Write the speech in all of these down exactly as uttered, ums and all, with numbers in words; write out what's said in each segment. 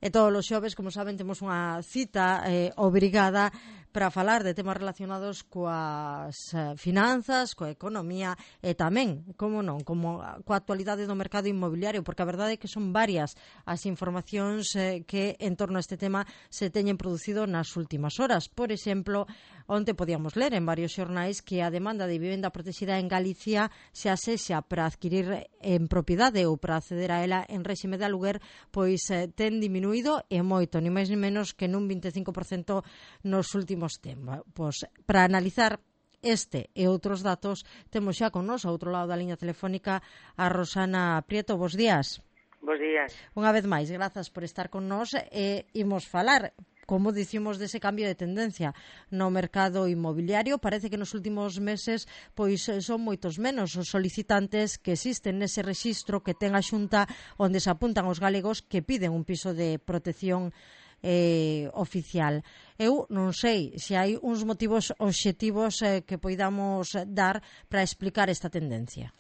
E todos os xoves, como saben, temos unha cita eh, obrigada para falar de temas relacionados coas eh, finanzas, coa economía e tamén, como non, como coa actualidade do mercado inmobiliario, porque a verdade é que son varias as informacións eh, que en torno a este tema se teñen producido nas últimas horas. Por exemplo, onte podíamos ler en varios xornais que a demanda de vivenda protexida en Galicia se asexa para adquirir en propiedade ou para acceder a ela en réxime de aluguer, pois eh, ten diminuído e moito, ni máis ni menos que nun vinte e cinco por cento nos últimos tempos. Para analizar este e outros datos, temos xa con nos, ao outro lado da liña telefónica, a Rosana Prieto. Bos días. Bos días. Unha vez máis, grazas por estar con nos e imos falar, como dicimos, dese cambio de tendencia no mercado inmobiliario. Parece que nos últimos meses pois son moitos menos os solicitantes que existen nese rexistro que ten a Xunta, onde se apuntan os galegos que piden un piso de protección eh, oficial. Eu non sei se hai uns motivos obxectivos eh, que poidamos dar para explicar esta tendencia.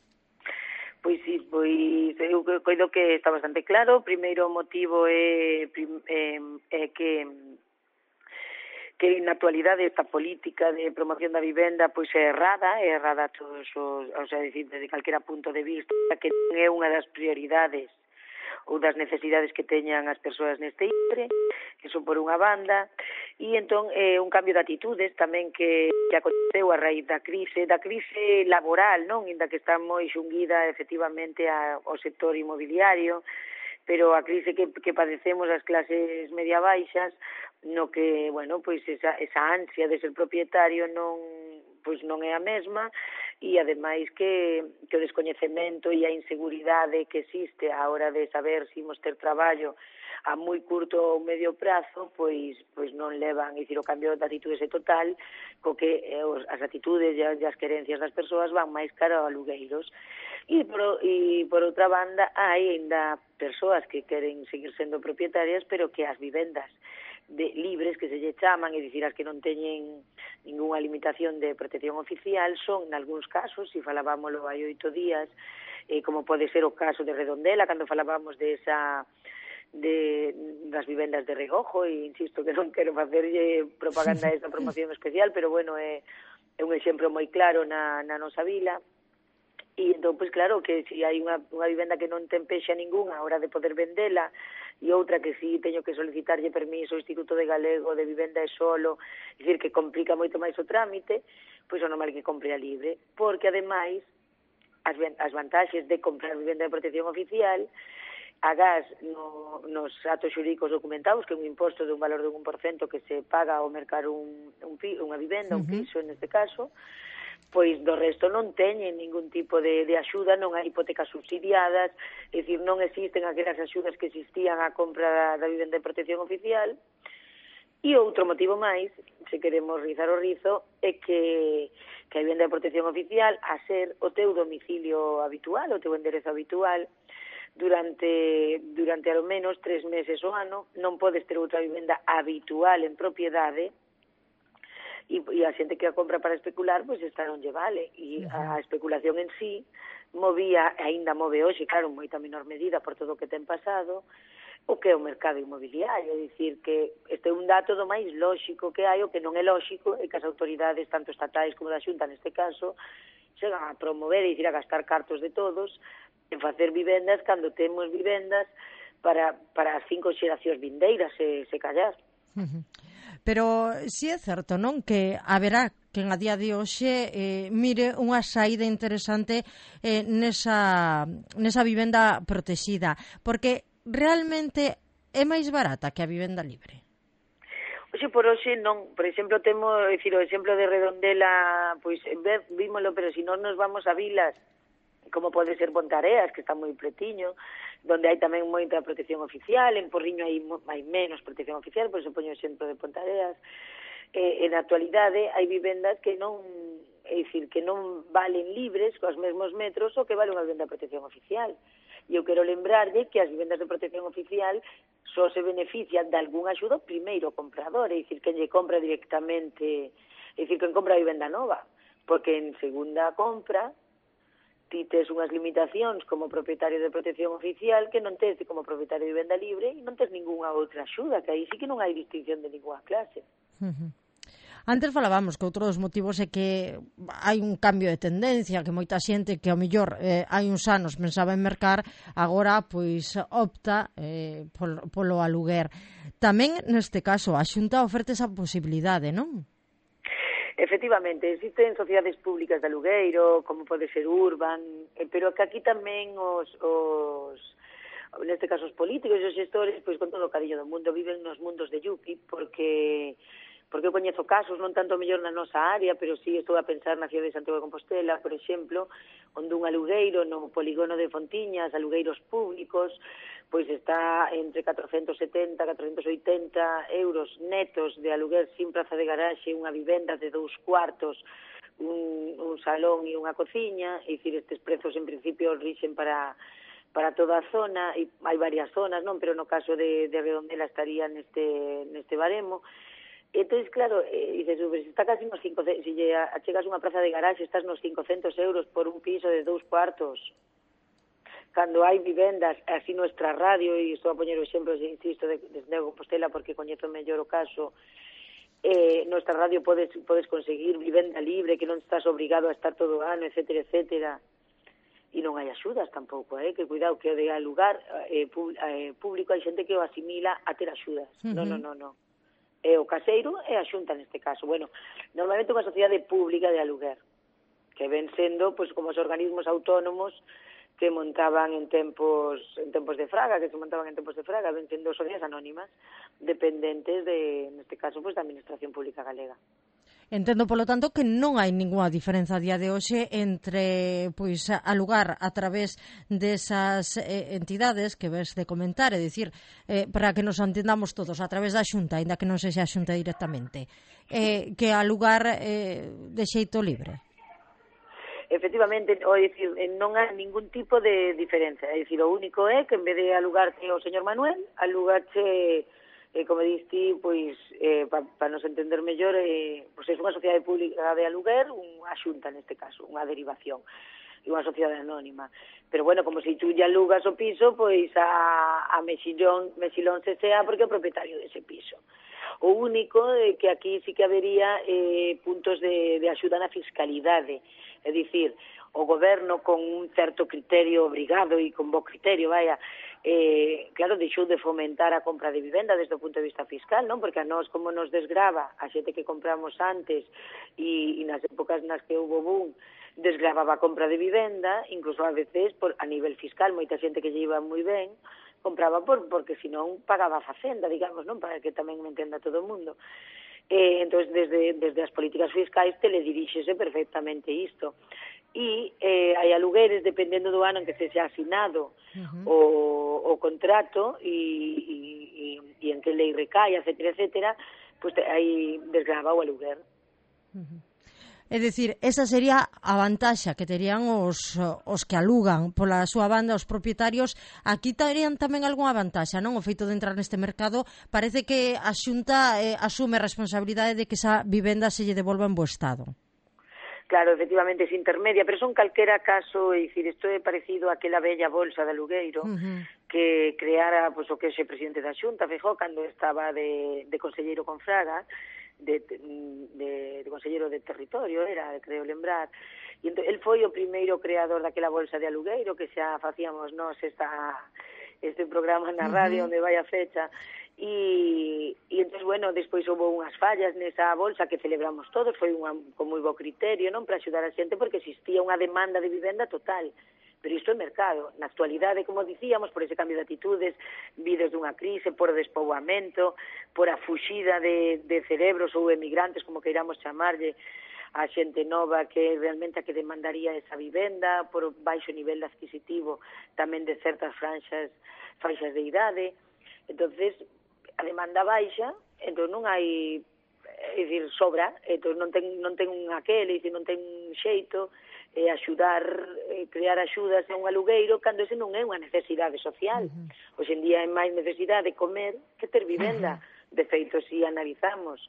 Pois sí, pois eu coido que está bastante claro. O primeiro motivo é, é, é que que na actualidade esta política de promoción da vivenda pois é errada, é errada a todos os, o sea, decir, desde calquera punto de vista, que non é unha das prioridades ou das necesidades que teñan as persoas neste intre, que son por unha banda, e entón é un cambio de atitudes tamén que, que aconteceu a raíz da crise, da crise laboral, non? Inda que está moi xunguida efectivamente a, ao sector inmobiliario, pero a crise que, que padecemos as clases media baixas, no que, bueno, pois esa, esa ansia de ser propietario non, pois non é a mesma, e ademais que, que o descoñecemento e a inseguridade que existe á hora de saber se imos ter traballo a moi curto ou medio prazo, pois pois non levan, é dicir, o cambio de atitudes é total, co que eh, os, as atitudes e as, as querencias das persoas van máis cara a alugueiros. E por, e por outra banda, hai ainda persoas que queren seguir sendo propietarias, pero que as vivendas de libres, que se lle chaman, é dicir, as que non teñen ningunha limitación de protección oficial, son, nalgúns casos, se falábamoslo hai oito días, eh, como pode ser o caso de Redondela, cando falábamos de esa de das vivendas de regojo, e insisto que non quero facerlle propaganda a esa promoción especial, pero bueno, é, é un exemplo moi claro na, na nosa vila. E entón, pois claro, que se hai unha, unha vivenda que non ten pexa ninguna a hora de poder vendela, e outra que si teño que solicitarlle permiso ao Instituto de Galego de Vivenda e Solo, é dicir, que complica moito máis o trámite, pois o normal que compre a libre, porque ademais as, as vantaxes de comprar vivenda de protección oficial, agás no, nos atos xurídicos documentados, que é un imposto de un valor de un por cento que se paga ao mercar un, un, unha vivenda, un piso neste caso, pois do resto non teñen ningún tipo de, de axuda, non hai hipotecas subsidiadas, é dicir, non existen aquelas axudas que existían á compra da, da vivenda de protección oficial. E outro motivo máis, se queremos rizar o rizo, é que, que a vivenda de protección oficial, a ser o teu domicilio habitual, o teu enderezo habitual, durante durante ao menos tres meses ao ano, non podes ter outra vivenda habitual en propiedade, e, e a xente que a compra para especular, pois esta non lle vale, e a especulación en sí movía, aínda move hoxe, claro, en moita menor medida por todo o que ten pasado, o que é o mercado inmobiliario, é dicir, que este é un dato do máis lóxico que hai, o que non é lóxico é que as autoridades, tanto estatais como da Xunta neste caso, chegan a promover, é dicir, a gastar cartos de todos en facer vivendas cando temos vivendas para, para as cinco xeracións vindeiras, se, se callar. Uh-huh. Pero si é certo, non, que haberá quen a día de hoxe eh, mire unha saída interesante eh, nesa, nesa vivenda protexida, porque realmente é máis barata que a vivenda libre. Oxe, por hoxe non, por exemplo, temos, é dicir, o exemplo de Redondela, pois vímolo, pero se non nos vamos a vilas, como pode ser Pontareas, que está moi pretiño, donde hai tamén moita protección oficial, en Porriño hai, hai menos protección oficial, por eso poño o exemplo de Pontareas. Eh, en a actualidade hai vivendas que non, é dicir, que non valen libres cos mesmos metros o que vale unha vivenda de protección oficial. E eu quero lembrarlle que as vivendas de protección oficial só se benefician de algún axudo primeiro comprador, é dicir, que lle compra directamente, é dicir, que compra a vivenda nova, porque en segunda compra ti tes unhas limitacións como propietario de protección oficial que non tes como propietario de vivenda libre e non tes ningunha outra axuda, que aí sí que non hai distinción de ninguna clase. Uh-huh. Antes falábamos que outro dos motivos é que hai un cambio de tendencia, que moita xente que ao mellor eh, hai uns anos pensaba en mercar, agora pois opta eh, polo, polo aluguer. Tamén neste caso a Xunta oferte esa posibilidade, non? Efectivamente, existen sociedades públicas de alugueiro, como pode ser Urban, eh, pero que aquí tamén os, os neste caso os políticos e os xestores, pois con todo o cariño do mundo, viven nos mundos de Yupi, porque porque eu coñezo casos, non tanto mellor na nosa área, pero sí estou a pensar na cidade de Santiago de Compostela, por exemplo, onde un alugueiro no polígono de Fontiñas, alugueiros públicos, pois está entre catrocentos setenta, catrocentos oitenta euros netos de aluguer sin praza de garaxe, unha vivenda de dous cuartos, un, un salón e unha cociña, e dicir, estes prezos en principio rixen para para toda a zona, e hai varias zonas, non, pero no caso de, de Redondela estaría neste, neste baremo. Entón, claro, eh, dices, se está casi nos cinco, se lle achegas unha praza de garaxe, estás nos cincocentos euros por un piso de dous cuartos. Cando hai vivendas, así nuestra radio, e estou a poñer o exemplo, insisto, de, de Santiago de Compostela, porque coñezo mellor o caso, eh, nuestra radio podes, podes conseguir vivenda libre, que non estás obrigado a estar todo o ano, etcétera, etcétera. E non hai axudas tampouco, eh? Que cuidado, que o de alugar eh, público hai xente que o asimila a ter axudas. Uh-huh. Non, non, non, non. É o caseiro e a Xunta neste caso. Bueno, normalmente unha sociedade pública de aluguer, que ven sendo pois, como os organismos autónomos que montaban en tempos en tempos de Fraga, que se montaban en tempos de Fraga, ven sendo sociedades anónimas, dependentes de, neste caso, pois, da Administración Pública Galega. Entendo, polo tanto, que non hai ningunha diferenza a día de hoxe entre pois alugar a través desas eh, entidades que ves de comentar, é dicir, eh, para que nos entendamos todos, a través da Xunta, ainda que non sexa a Xunta directamente, eh, que alugar eh, de xeito libre. Efectivamente, o dicir, non hai ningún tipo de diferencia, é dicir, o único é que en vez de alugarte o señor Manuel, alugarche eh, como diste, pois, eh, para pa nos entender mellor, eh, pois é unha sociedade pública de aluguer, unha xunta neste caso, unha derivación, e unha sociedade anónima. Pero, bueno, como se tú lle alugas o piso, pois a, a Mexilón, Mexilón se sea porque é o propietario dese piso. O único é que aquí sí que habería eh, puntos de, de axuda na fiscalidade, é dicir, o goberno con un certo criterio obrigado e con bo criterio, vaya, eh, claro, deixou de fomentar a compra de vivenda desde o punto de vista fiscal, non? Porque a nós, como nos desgrava a xente que compramos antes e, e nas épocas nas que houve boom, desgravaba a compra de vivenda, incluso a veces por, a nivel fiscal, moita xente que lle iba moi ben, compraba por, porque senón pagaba a facenda, digamos, non? Para que tamén me entenda todo o mundo. Eh, entón, desde, desde as políticas fiscais telediríxese perfectamente isto. E eh, hai alugueres, dependendo do ano en que se xa asinado uh-huh. o, o contrato e, e, e, e en que lei recai, etcétera, etcétera, pues aí desgrava o aluguer. Uh-huh. É dicir, esa sería a vantaxa que terían os, os que alugan pola súa banda, os propietarios. Aquí terían tamén algunha vantaxa, non? O feito de entrar neste mercado, parece que a Xunta eh, asume a responsabilidade de que esa vivenda se lle devolva en bo estado. Claro, efectivamente, é intermedia, pero son calquera caso, é dicir, isto é parecido a aquela bella bolsa de alugueiro uh-huh. que creara, pois, o que é o presidente da Xunta, Feijóo, cando estaba de, de conselleiro con Fraga, de, de, de conselleiro de territorio, era, creo lembrar, e entón, el foi o primeiro creador daquela bolsa de alugueiro, que xa facíamos nós esta, este programa na radio, uh-huh. onde vai a fecha, e, e entón, bueno, despois houve unhas fallas nesa bolsa que celebramos todos, foi unha, con moi bo criterio, non, para axudar a xente, porque existía unha demanda de vivenda total, pero isto é mercado. Na actualidade, como dicíamos, por ese cambio de atitudes, vidos dunha crise, por o despoboamento, por a fuxida de, de cerebros ou emigrantes, como queiramos chamarlle, a xente nova que realmente a que demandaría esa vivenda, por o baixo nivel adquisitivo tamén de certas franxas, franxas de idade. Entonces, a demanda baixa, entón non hai, é dicir, sobra, entón non ten, non ten un aquel, é dicir, non ten xeito, eh, axudar, eh, crear axudas a un alugueiro cando ese non é unha necesidade social. Uh-huh. Hoxe en día é máis necesidade comer que ter vivenda. Uh-huh. De feito, se analizamos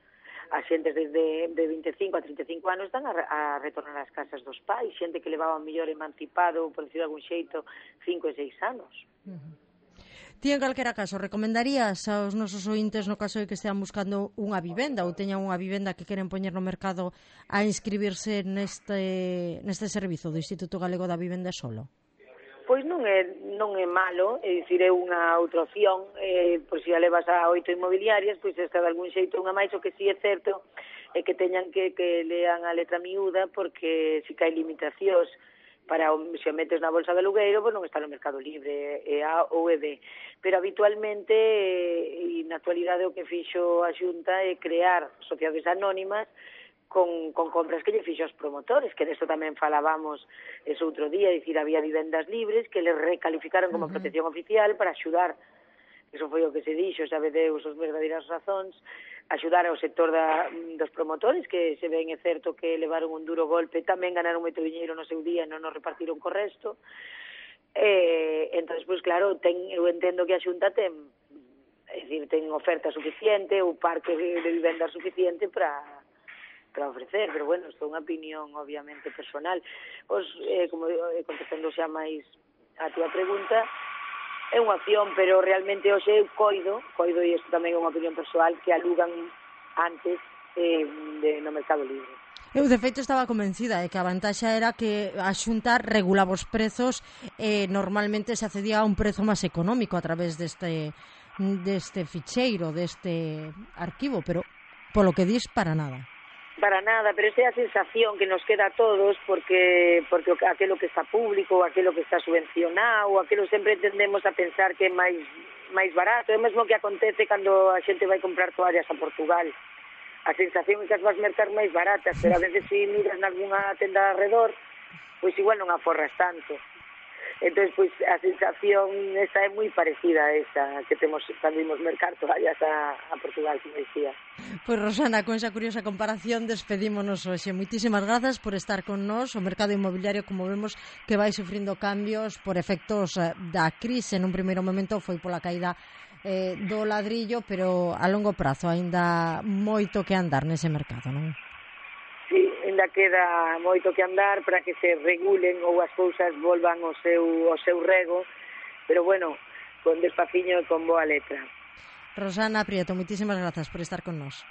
as xentes desde de vinte e cinco a trinta e cinco anos están a, a retornar ás casas dos pais, xente que levaba mellor emancipado, por decir de algún xeito, cinco e seis anos. Uh-huh. Ti, en calquera caso, recomendarías aos nosos ointes, no caso de que estean buscando unha vivenda ou teñan unha vivenda que queren poñer no mercado, a inscribirse neste, neste servizo do Instituto Galego da Vivenda Solo? Pois non é, non é malo, é dicir, é unha outra opción, eh, por se a levas a oito inmobiliarias, pois esta de algún xeito unha máis, o que sí é certo é que teñan que, que lean a letra miúda, porque si que hai limitacións para se o metes na bolsa de alugueiro, pois non está no Mercado Libre, é A ou é B. Pero habitualmente, e na actualidade o que fixo a Xunta é crear sociedades anónimas con, con compras que lle fixo aos promotores, que desto tamén falábamos ese outro día, é dicir, había vivendas libres que les recalificaron como uh-huh. protección oficial para axudar, eso foi o que se dixo, sabe Deus os verdadeiras razóns, axudar ao sector da, dos promotores, que se ven é certo que levaron un duro golpe, tamén ganaron moito diñeiro no seu día e non nos repartiron co resto. Eh, entón, pois claro, ten, eu entendo que a Xunta ten, é dicir, ten oferta suficiente, ou parque de, de vivenda suficiente para para ofrecer, pero bueno, isto é unha opinión obviamente personal. Os, eh, como eh, contestando xa máis a túa pregunta, é unha opción, pero realmente hoxe eu coido, coido, e isto tamén é unha opinión persoal, que alugan antes eh, de, no Mercado Libre. Eu, de feito, estaba convencida de que a vantaxa era que a Xunta regulaba os prezos e eh, normalmente se accedía a un prezo máis económico a través deste, deste ficheiro, deste arquivo, pero polo que dis, para nada. Para nada, pero esa é a sensación que nos queda a todos, porque porque aquilo que está público, aquilo que está subvencionado, aquilo sempre tendemos a pensar que é máis máis barato. É o mesmo que acontece cando a xente vai comprar toallas a Portugal. A sensación é que as vas mercar máis baratas, pero a veces se miras nalgúna tenda alrededor, pois igual non aforras tanto. Entón, pois, a sensación esa é moi parecida a esa que temos cando imos mercar toallas a, a Portugal, como dicía. Pois, Rosana, con esa curiosa comparación despedímonos hoxe. Moitísimas grazas por estar con nós. O mercado inmobiliario, como vemos, que vai sufrindo cambios por efectos da crise. Nun primeiro momento foi pola caída eh, do ladrillo, pero a longo prazo aínda moito que andar nese mercado, non? Sí, ainda queda moito que andar para que se regulen ou as cousas volvan ao seu, ao seu rego, pero bueno, con despaciño e con boa letra. Rosana Prieto, moitísimas grazas por estar con nós.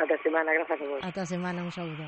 Ata semana, grazas a vos. Ata semana, un saúdo.